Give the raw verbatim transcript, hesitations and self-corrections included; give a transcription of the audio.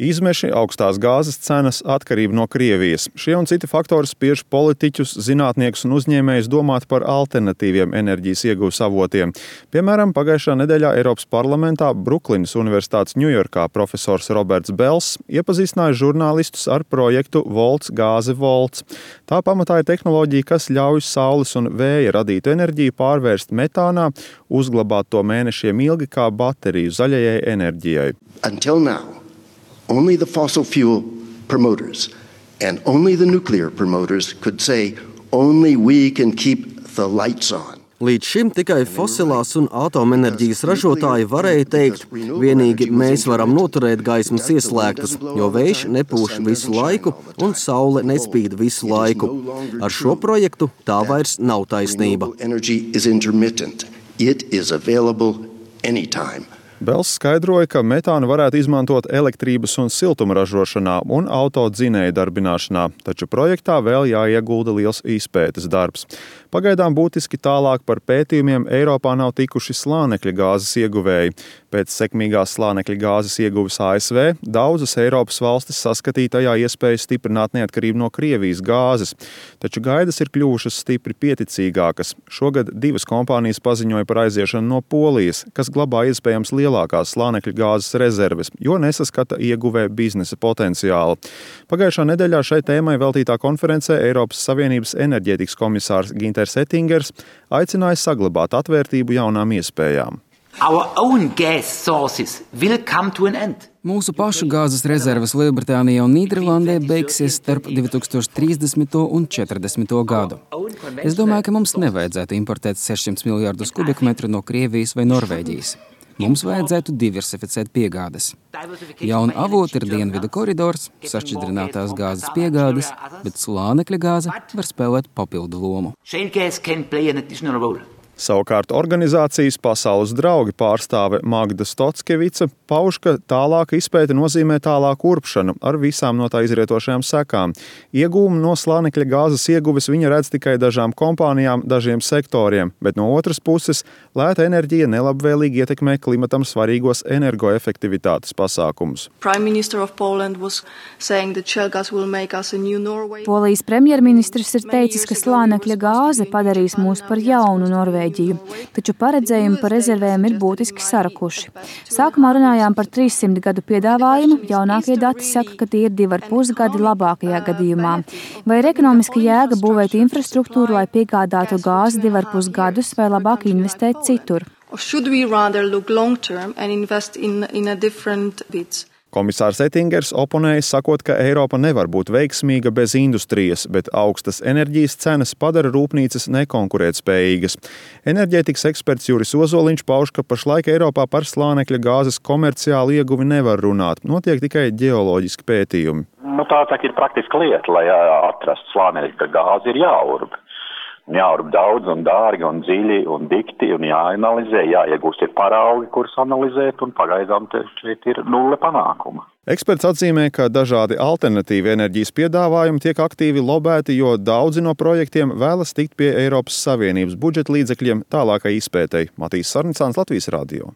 Izmeši, augstās gāzes cenas, atkarība no Krievijas. Šie un citi faktori spiež politiķus, zinātniekus un uzņēmējus domāt par alternatīviem enerģijas ieguves avotiem. Piemēram, pagājušā nedēļā Eiropas parlamentā Bruklinas Universitātes Ņujorkā profesors Roberts Bels iepazīstināja žurnālistus ar projektu Volts gāze Volts. Tā pamatā ir tehnoloģija, kas ļauj saules un vēja radītu enerģiju pārvērst metānā, uzglabāt to mēnešiem ilgi kā bateriju zaļajai enerģijai. Until now, only the fossil fuel promoters and only the nuclear promoters could say only we can keep the lights on. Līdz šim tikai fosilās un atomenerģijas ražotāji varēja teikt, vienīgi mēs varam noturēt gaismas ieslēgtas, jo vējš nepūš visu laiku un saule nespīd visu laiku. Ar šo projektu tā vairs nav taisnība. Bels skaidroja, ka metānu varētu izmantot elektrības un siltuma ražošanā un autodzinēju darbināšanā, taču projektā vēl jāiegulda liels izpētes darbs. Pagaidām būtiski tālāk par pētījumiem Eiropā nav tikuši slānekļa gāzes ieguvēji. Pēc sekmīgās slānekļa gāzes ieguves A S V daudzas Eiropas valstis saskatīja tajā iespēju stiprināt neatkarību no Krievijas gāzes, taču gaidas ir kļuvušas stipri pieticīgākas. Šogad divas kompānijas paziņoja par aiziešanu no Polijas, kas glabā iespējams lielākās slānekļa gāzes rezerves, jo nesaskata ieguvē biznesa potenciālu. Pagājušā nedēļā šai tēmai veltītā konferencē Eiropas Savienības enerģētikas komisārs Ginters Ettingers aicināja saglabāt atvērtību jaunām iespējām. Mūsu pašu gāzes rezerves Lielbritānijā un Nīderlandē beigsies starp divi tūkstoši trīsdesmito un četrdesmito gadu. Es domāju, ka mums nevajadzētu importēt sešsimt miljardus kubikmetru no Krievijas vai Norvēģijas. Mums vajadzētu diversificēt piegādes. Jauna avota ir dienvidu koridors, sašķidrinātās gāzes piegādes, bet slānekļa gāze var spēlēt papildu lomu. Savukārt organizācijas Pasaules draugi pārstāve Magda Stotskevica pauž, ka tālāka izpēte nozīmē tālāku urpšanu ar visām no tā izrietošajām sekām. Iegūmu no slānekļa gāzes ieguves viņa redz tikai dažām kompānijām, dažiem sektoriem, bet no otras puses lēta enerģija nelabvēlīgi ietekmē klimatam svarīgos energoefektivitātes pasākumus. Polijas premjerministrs ir teicis, ka slānekļa gāze padarīs mūs par jaunu Norvēģiju. Taču paredzējumi par rezervēm ir būtiski sarakuši. Sākumā runājām par trīssimt gadu piedāvājumu, jaunākie dati saka, ka tie ir divi ar pus gadi labākajā gadījumā. Vai ir ekonomiska jēga būvēt infrastruktūru, lai piegādātu gāzi divi ar pus gadus, vai labāk investēt citur? Komisārs Ettingers oponēja, sakot, ka Eiropa nevar būt veiksmīga bez industrijas, bet augstas enerģijas cenas padara rūpnīcas nekonkurētspējīgas. Enerģētikas eksperts Juris Ozoliņš pauž, ka pašlaik Eiropā par slānekļa gāzes komerciālu ieguvi nevar runāt, notiek tikai ģeoloģiski pētījumi. Nu, tā tā ir praktiska lieta, lai atrastu slānekļa gāzi ir jāurb. Jāurb daudz un dārgi un dziļi un dikti un jāanalizē, jāiegūst ir paraugi, kurus analizēt, un pagaidām šeit ir nulle panākuma. Eksperts atzīmē, ka dažādi alternatīvi enerģijas piedāvājumi tiek aktīvi lobēti, jo daudzi no projektiem vēlas tikt pie Eiropas Savienības budžeta līdzekļiem tālākai izpētei. Matīs Sarnicāns, Latvijas radio.